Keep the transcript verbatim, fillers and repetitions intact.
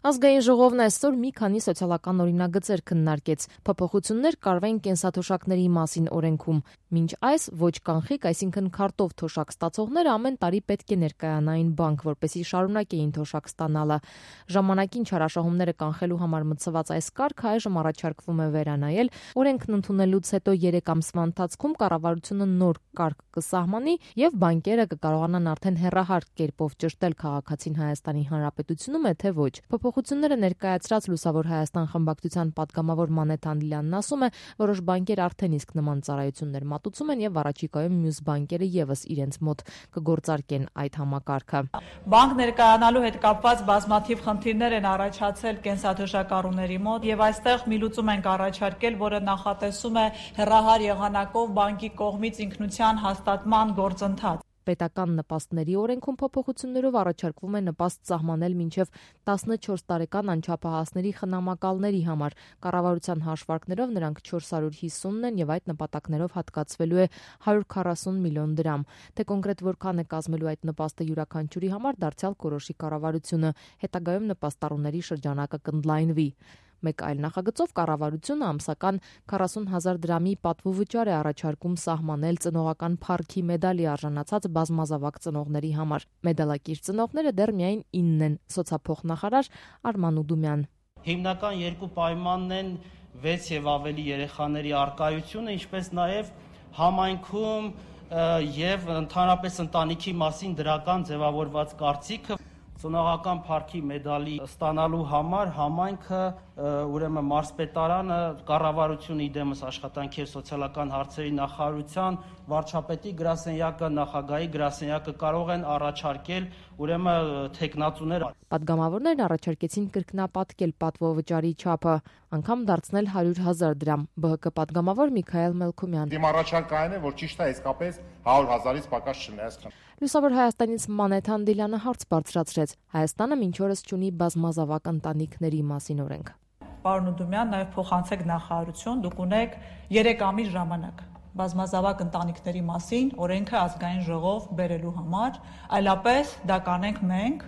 Ազգային ժողովն այսօր մի քանի սոցիալական օրինագծեր քննարկեց։ Փոփոխություններ կարվեն կենսաթոշակների մասին օրենքում։ Մինչ այս ոչ կանխիկ, այսինքն քարտով թոշակ ստացողները ամեն տարի պետք է ներկայանային բանկ, որպեսզի շարունակեին թոշակ ստանալը։ Ժամանակին չարաշահումները կանխելու համար մտցված այս կարգը այժմ առաջարկվում է վերանայել։ Օրենքն ընդունելուց հետո երեք ամսվա ընթացքում կառավարությունը նոր կարգ կսահմանի եւ բանկերը կկարողանան արդեն հեռահար կերպով ճշտել քաղաքացին Հայաստանի Հանրապետությունում է թե ոչ։ Փոփոխությունները ներկայացրած Լուսավոր Հայաստան խմբակցության պատգամավոր Մանեթ Անդիլյանն ասում է, որոշ բանկեր արդեն իսկ նման ծառայություններ մատուցում են եւ առաջիկայում մյուս բանկերը եւս իրենց մոտ կգործարկեն այդ համակարգը։ Բանկ ներկայանալու հետ կապված բազմաթիվ խնդիրներ են առաջացել կենսաթոշակառուների մոտ եւ այստեղ մի լուծում ենք առաջարկել, որը նախատեսում է հեռահար եղանակով բանկի կողմից ինքնության հաստատման գործընթաց։ Պետական նպաստների օրենքում փոփոխություններով առաջարկվում է նպաստ սահմանել մինչև տասնչորս տարեկան անչափահասների խնամակալների համար։ Կառավարության հաշվարկներով նրանք չորս հարյուր հիսունն են եւ այդ նպատակներով հատկացվելու է հարյուր քառասուն միլիոն դրամ։ Թե կոնկրետ որքան է կազմելու այդ նպաստը յուրաքանչյուրի համար դարձյալ կորոշի կառավարությունը, հետագայում նպաստառուների շրջանակը կընդլայնվի։ Մեկ այլ նախագծով կառավարությունը ամսական քառասուն հազար դրամի պատվովճար է առաջարկում սահմանել ծնողական փառքի մեդալի արժանացած բազմազավակ ծնողների համար։ Մեդալակիր ծնողները դեռ միայն ինն են, սոցափոխնախարար Արման Ուդումյան։ Հիմնական երկու պայմանն են վեց եւ ավելի երեխաների առկայությունը, ինչպես նաեւ համայնքում եւ ընդհանրապես ընտանիքի մասին դրական ձևավորված կարծիքը։ Ծնողական փառքի մեդալի ստանալու համար համայնքը, ուրեմն մարզպետարանը, կառավարությունը իդեմս աշխատանքի եւ սոցիալական հարցերի նախարարության, վարչապետի գրասենյակը, նախագահի գրասենյակը կարող են առաջարկել ուրեմն թեկնածուներ։ Պատգամավորներն առաջարկեցին կրկնապատկել պատվովճարի չափը, անգամ դարձնել հարյուր հազար դրամ։ Բ Հ Կ պատգամավոր Միքայել Մելքումյան։ Իմ առաջարկը այն է, որ ճիշտ է իսկապես հարյուր հազարից պակաս չլինի այսքան։ Լուսավոր Հայաստանից Մանեթ Անդիլյանը հարց բարձրացրեց։ Հայաստանը մինչ օրս չունի բազմազավակ ընտանիքների մասին օրենք։ Պարոն Ուդումյան, նաև փոխանցեք նախարարություն, դուք ունեք երեք ամիս ժամանակ բազմազավակ ընտանիքների մասին օրենքը ազգային ժողով բերելու համար, այլապես դա կանենք մենք